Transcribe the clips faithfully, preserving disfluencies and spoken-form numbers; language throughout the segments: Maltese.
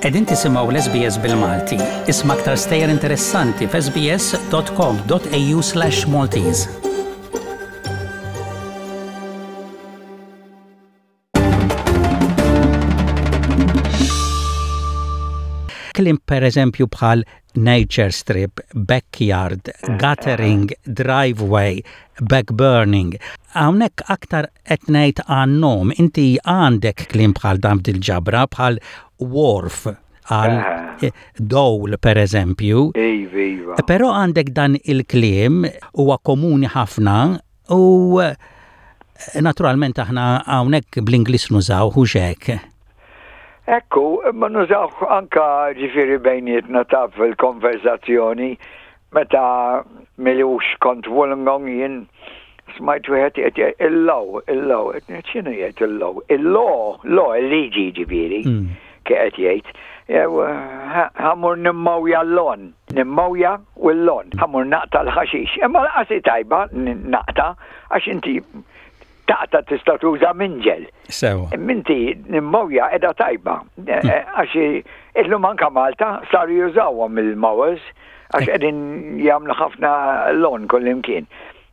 Qegħdin tisimgħu l-S B S bil-Malti. Isma' aktar stejjer interessanti f'S B S dot com dot A U slash Maltese. Kliem, per eżempju, bħal nature strip, backyard, guttering, driveway, backburning. Hawnhekk aktar qed ngħid għan-nom, inti għandek kliem bħal dan fil-ġabra, bħal wharf, għal eh, dole, per eżempju. Iva, iva. Però għandek dan il-kliem, huwa komuni ħafna u eh, naturalment aħna hawnhekk bl-Ingliż nużaw hux hekk? Ekku, ma nużaw anka, ġifieri, bejnietna ta' fil-konverzazzjoni. Meta m'ilux kont Wollongong, jien smajt wieħed jgħid "il-law, il-law", x'inhu jgħid "il-law"? Il-law, law, il-liġi ġifieri, mm. qed jgħid. Ħa mmur nimmowja l-lawn, nimmowja u l-lawn, ħa mmur naqta' l-ħaxix. Imma l tajba naqta', għax inti taqta' tista' tuża minġel. Sewa. Minti nimmowja edha tajba. Hmm. Eh, eh, għax illum anka Malta saru jużawhom il-mowers, għax qegħdin jagħmlu ħafna lawn kullimkien.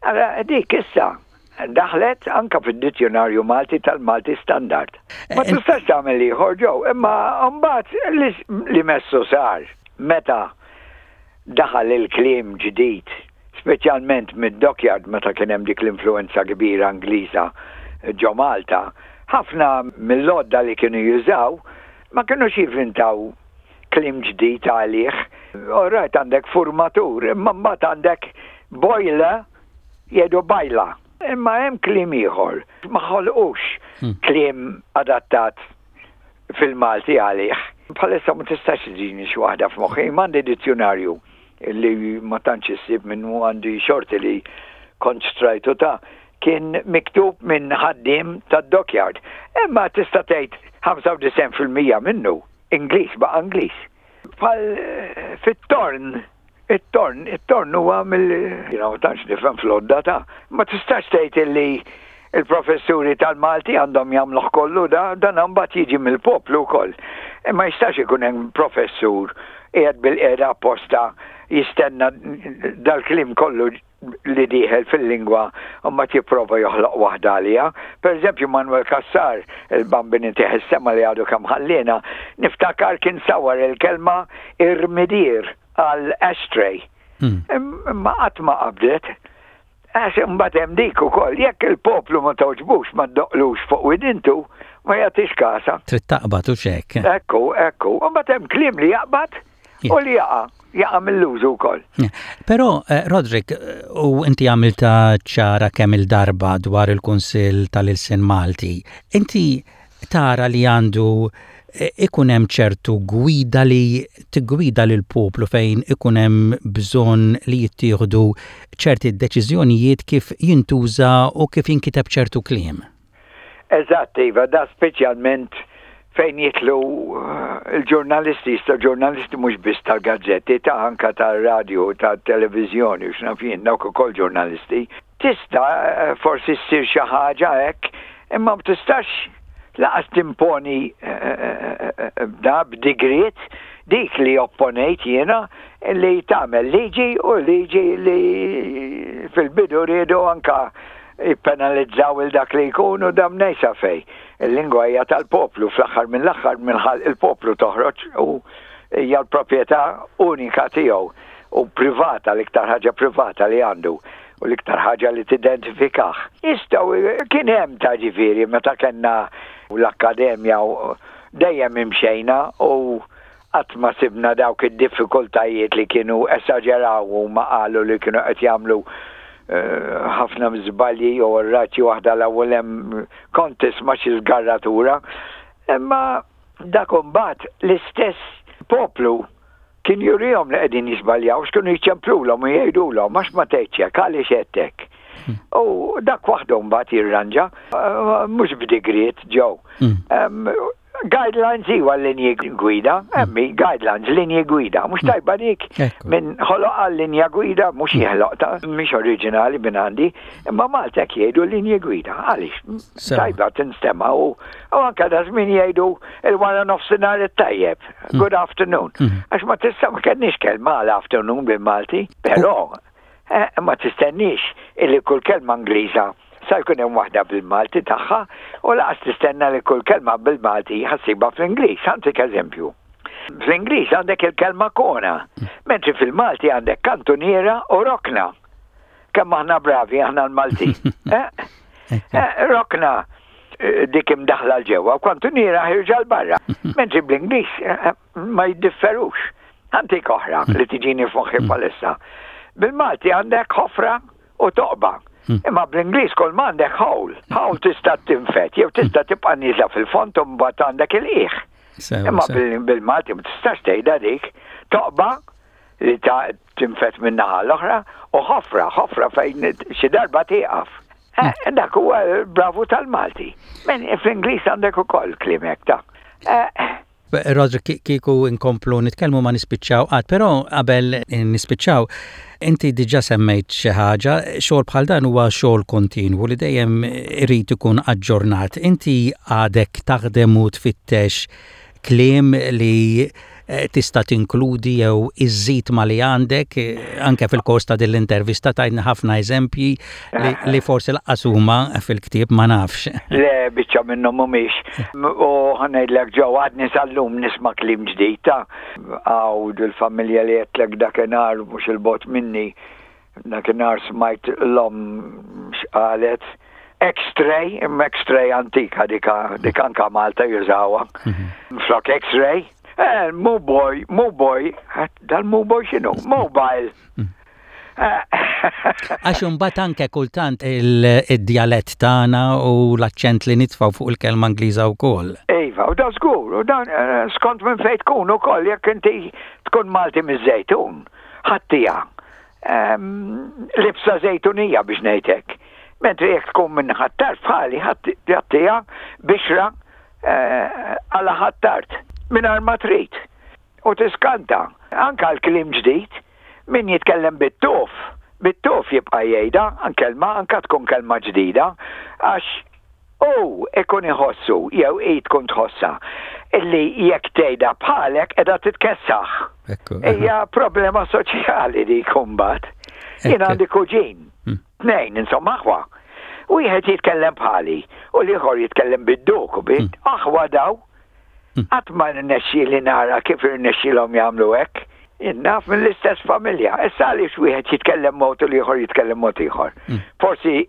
Allura dik issa daħlet anka fid-dizzjonarju Malti tal-Malti Standard. Ma eh, tistax tagħmel ieħor ġew, imma mbagħad li messu sar meta daħal il-kliem ġdid, speċjalment mid-dockyard, meta kien hemm dik l-influenza kbira Ingliża ġo Malta, ħafna mill-lodda li kienu jużaw ma kienux jivvintaw kliem ġdid għalih. Alright, għandek formatur, imma mbagħad għandek boiler, jgħidu bajla. Imma hemm kliem ieħor, ma ħolqux hmm. kliem adattat fil-Malti għalih. Bħalissa ma tistax tiġini xi waħda f'moħħi, m'għandi dizzjonarju li ma tantx issib minnu, għandi xorti li kont xtrajtu, ta' kien miktub minn ħaddim tad-dockyard. Imma tista' tgħid ħamsa u disgħin fil-mija minnu Ingliż ba' Ingliż. Bħal eh, fit-torn, it-torn, it-torn huwa mill, you know, tantx nifhem fl-odda ta'. Ma tistax tgħid illi il-professuri tal-Malti għandhom jagħmluh kollu da, dan mbagħad jiġi mill-poplu wkoll. Imma jistax ikun hemm professur qiegħed bil-qiegħda apposta jistenna dal-kliem kollu li dieħel fil-lingwa u ma jipprova joħloq waħda għalija. Per eżempju, Manuel Cassar, il-Bambin itih is-sema, li għadu kemm ħallina, niftakar kien sawar il-kelma irmidir għal ashtray. Hmm. Imma qatt ma qabdet. Għax imbagħad hemm dik ukoll, jekk il-poplu ma togħġbux, ma ddoqqlux fuq widintu, ma jagħtix kasa. Trid taqbad u xek. Ekku, ekku. Imbagħad hemm kliem li jaqbad u li jaqa' jaqa' mill-użu wkoll. Però eh, Roderick, eh, u inti għamilta ċara kemm il-darba dwar il-Kunsill tal-Ilsien Malti, inti tara li għandu eh, ikun hemm ċertu gwida li tigwida lil poplu fejn ikun hemm bżonn li jittieħdu ċerti deċiżjonijiet kif jintuża u kif jinkiteb ċertu kliem? Eżatt, iva, da speċjalment fejn jidħlu eh, il-ġurnalisti, sta ġurnalisti mhux biss tal-gazzetti, ta' anka tal-radio, tal-televizjoni, u x'naf jien, dawk ukoll ġurnalisti. Tista' eh, forsi ssir xi ħaġa hekk, imma ma tistax lanqas timponi eh, da b'digriet. Dik li opponejt jiena, li tagħmel liġi, u liġi li fil-bidu riedu anka jippenalizzaw il dak li jkunu dam nejsa fej. Il-lingwa hija tal-poplu, fl-aħħar mill-aħħar minn il-poplu toħroġ u hija l-proprjetà unika tiegħu u privata, l-iktar ħaġa privata li għandu u l-iktar ħaġa li tidentifikah. Jistgħu kien hemm ta', ġifieri, meta kellna l-akkademja dejjem imxejna u qatt ma sibna dawk id-diffikultajiet li kienu esaġeraw u ma qalu li kienu qed jagħmlu eh, ħafna żbalji jew rraċi waħda l-ewwel hemm kont tisma' xi żgarratura. Imma dak imbagħad l-istess poplu kien jurihom li qegħdin jiżbaljaw, x'kienu jċemplulhom u jgħidulhom, "Għax ma tgħidx hekk, għaliex hekk?" Hmm. U dak waħdu mbagħad jirranġa, eh, mhux b'digriet ġew. Hmm. Guidelines iwa linji gwida, emmi, guidelines, linji gwida, mhux tajba dik. Min ħoloq linja gwida, mhux jeħloq ta' mhix oriġinali minn għandi, imma Malta jgħidu linji gwida, għaliex tajba tinstema u u anka da żmien jgħidu il-wara nofsinhar it-tajjeb, mm. good afternoon. Mm. Għax ma tista' ma kellniex kelma għal afternoon bil-Malti, però eh, ma tistenniex illi kull kelma Ingliża sa jkun hemm waħda bil-Malti tagħha u lanqas tistenna li kull kelma bil-Malti ħa ssibha fl-Ingliż. Ħa ntik eżempju. Fl-Ingliż għandek il-kelma corner, mentri fil-Malti għandek kantuniera u rokna. Kemm aħna bravi aħna l-Malti. Eh? Eh, rokna eh, dik imdaħla 'l ġewwa u kantuniera ħierġa 'l barra. Mentri bl-Ingliż ma jiddifferux. Ħa ntik oħra li tiġini f'moħħi bħalissa. Bil-Malti għandek ħofra u toqba. Hmm. Imma bl-Ingliż kull m'għandek hole. Hole tista' tinfed, jew tista' tibqa' nieżla fil-fond u mbagħad għandek il-qiegħ. Imma bil-Malti ma tistax tgħidha dik. Toqba li ta' tinfed minn naħa l-oħra u ħofra, ħofra fejn xi darba tieqaf. Eh, hmm. Dak huwa bravu tal-Malti. Men fl-Ingliż għandek ukoll kliem hekk ta' eh, Roger, kieku inkomplu nitkellmu ma nispiċċaw qatt, però qabel nispiċċaw, inti diġà semmejt xi ħaġa, xogħol bħal dan huwa xogħol kontinwu li dejjem irid ikun aġġornat. Inti għadek taħdem u tfittex kliem li eh, tista' tinkludi jew iżżid ma li għandek eh, anke fil-kors ta' din l-intervista tajna ħafna eżempji li, li forsi lanqas huma fil-ktieb, ma nafx. Le, biċċa minnhom mhumiex. U ħa ngħidlek ġew għadni sal-lum nisma' kliem ġdid ta' għawd il-familja li għedtlek dakinhar mhux 'il bogħod minni. Dakinhar smajt l-omm x'qalet. X-ray, imma X-ray antika dika, dik anka Malta jużawha. Mhm. Flok X-ray, eh, mu boy, mu boy, dal-mu boy x'inhu? Mobile. Mm. Għax imbagħad anke kultant il-djalett tagħna u l-aċċent li nitfgħu fuq il-kelma Ingliża wkoll. Iva, u da żgur, u dan eh, skont minn fejn tkun ukoll jekk inti tkun Malti miż-Żejtun, ħattija. Libsa Żejtunija biex ngħidlek. Mentri jekk tkun minn Ħ'Attard bħali ħattija bixra eh, għala Ħ'Attard minn ma trid. U tiskanta, anka l-kliem ġdid, min jitkellem bit-tuf, bit-tuf jibqa' jgħidha, kelma, anka tkun kelma ġdida, għax u ikun iħossu, jew i tkun tħossa, illi jekk tgħidha bħalek qiegħda titkessaħ. Hija problema soċjali dik imbagħad. Jien għandi kuġin, hmm. tnejn, insomma aħwa. Wieħed jitkellem bħali u l-ieħor jitkellem bid-duk u bid hmm. aħwa daw. Hmm. Qatt ma rnexxieli nara kif irnexxielhom jagħmlu hekk. Naf mill-istess familja. Issa għaliex wieħed jitkellem mod u l-ieħor jitkellem mod ieħor? Hmm. Forsi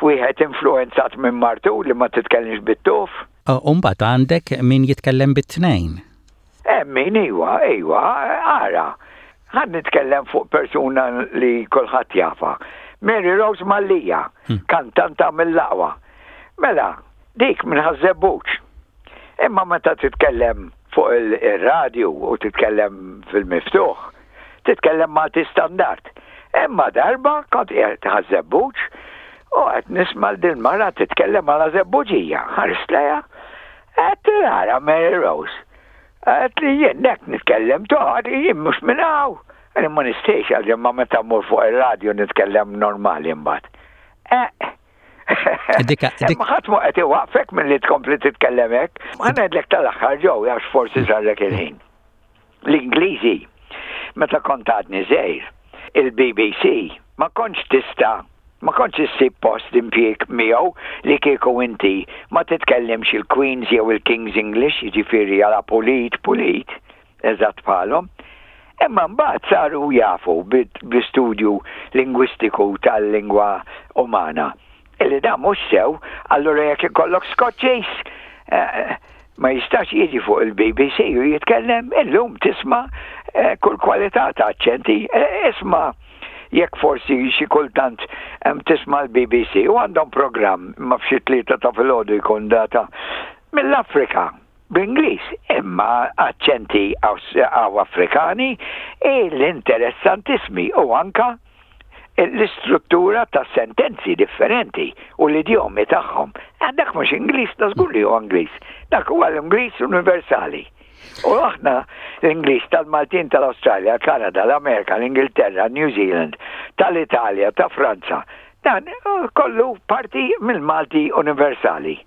wieħed influenzat minn martu li ma titkellimx bit-tuf. Umbagħad għandek min jitkellem bit-tnejn. Eh, min iwa, iwa, ara. Ħa nitkellem fuq persuna li kulħadd jafha. Mary Rose Mallia, hmm. kantanta mill-aqwa. Mela, dik minn Ħaż-Żebbuġ. Imma meta titkellem fuq il-radju u titkellem fil-miftuħ, titkellem Malti standard. Imma darba kont qiegħed Ħaż-Żebbuġ u qed nisma' din mara titkellem għala Żebbuġija. Ħarist lejha, qed ara Mary Rose. Għedt li jien nek nitkellem toħad, jien mhux minn hawn. Għalli ma nistax għalli ma meta mmur fuq il-radio nitkellem normali mbagħad. Eh, Ma ħadd ma qed iwaqfek milli tkompli titkellem hekk. Ma ngħidlek tal-aħħar ġew għax forsi sarlek il-ħin. L-Ingliżi, meta kont għadni żgħir, il-B B C ma kontx tista' ma kontx issib post impjieg miegħu li kieku inti ma titkellimx il-Queen's jew il-King's English, jiġifieri għala pulit pulit, eżatt bħalhom. Imma mbagħad saru jafu bl-istudju lingwistiku tal-lingwa umana illi da mhux sew, allura jekk ikollok Skoċċiż eh, ma jistax jiġi fuq il-B B C u jitkellem. Illum tisma' eh, kull kwalità ta' aċċenti, eh, isma' jekk forsi xi kultant tisma' l-B B C u għandhom programm ma f'xi tlieta ta' filgħodu jkun data mill-Afrika bl-Ingliż, imma aċċenti għaw Afrikani l-interessantissimi u anka L-istruttura ta' sentenzi differenti u l-idjomi tagħhom. Eh, dak mhux Ingliż, ta' żgur li huwa Ingliż. Dak huwa l-Ingliż universali. U aħna l-Ingliż tal-Maltin tal-Awstralja, Kanada, l-Amerika, l-Ingilterra, New Zealand, tal-Italja, ta' Franza, dan eh, kollu parti mill-Malti universali.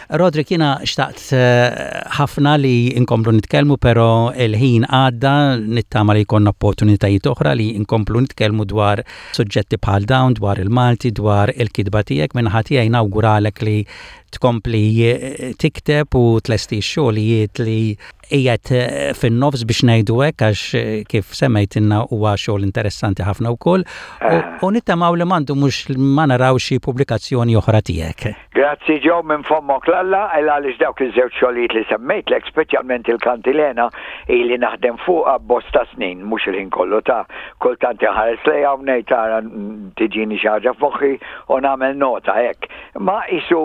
Roderick, jiena xtaqt eh, ħafna li nkomplu nitkellmu, pero il-ħin għadda. Nittama li jkollna opportunitajiet oħra li nkomplu nitkellmu dwar suġġetti bħal dawn, dwar il-Malti, dwar il-kitba tiegħek. Min-naħa tiegħi nawguralek li tkompli eh, tikteb u tlesti xogħlijiet li qiegħed eh, fin-nofs biex ngħidu hekk, għax eh, kif semmejtilna huwa xogħol interessanti ħafna wkoll u nittamaw li m'għandu mhux ma naraw xi pubblikazzjoni oħra tiegħek. Grazzi Joe, minn fommok 'l Alla, għaliex dawk iż-żewġ xogħlijiet li semmejtlek, speċjalment il-Kantilena, ili naħdem fuqha bosta snin, mhux il-ħin kollu ta' kultant ħares lejha u ngħid tara tiġini xi ħaġa f'moħħi u nagħmel nota hekk. Ma isu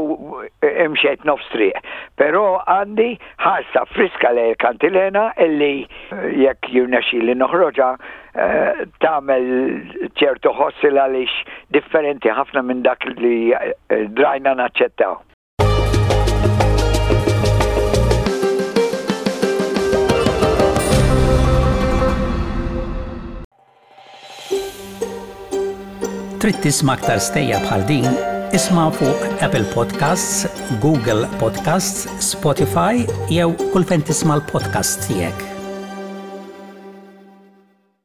imxejt nofs triq. Però għandi ħarsa friska lejn il-Kantilena illi jekk jirnexxili noħroġha eh, tagħmel ċertu ħossil għaliex differenti ħafna minn dak li eh, drajna naċċettaw. Trid tisma' aktar stejjer bħal din? Isma' fuq Apple Podcasts, Google Podcasts, Spotify jew kull fejn tisma' l-podcast tiegħek.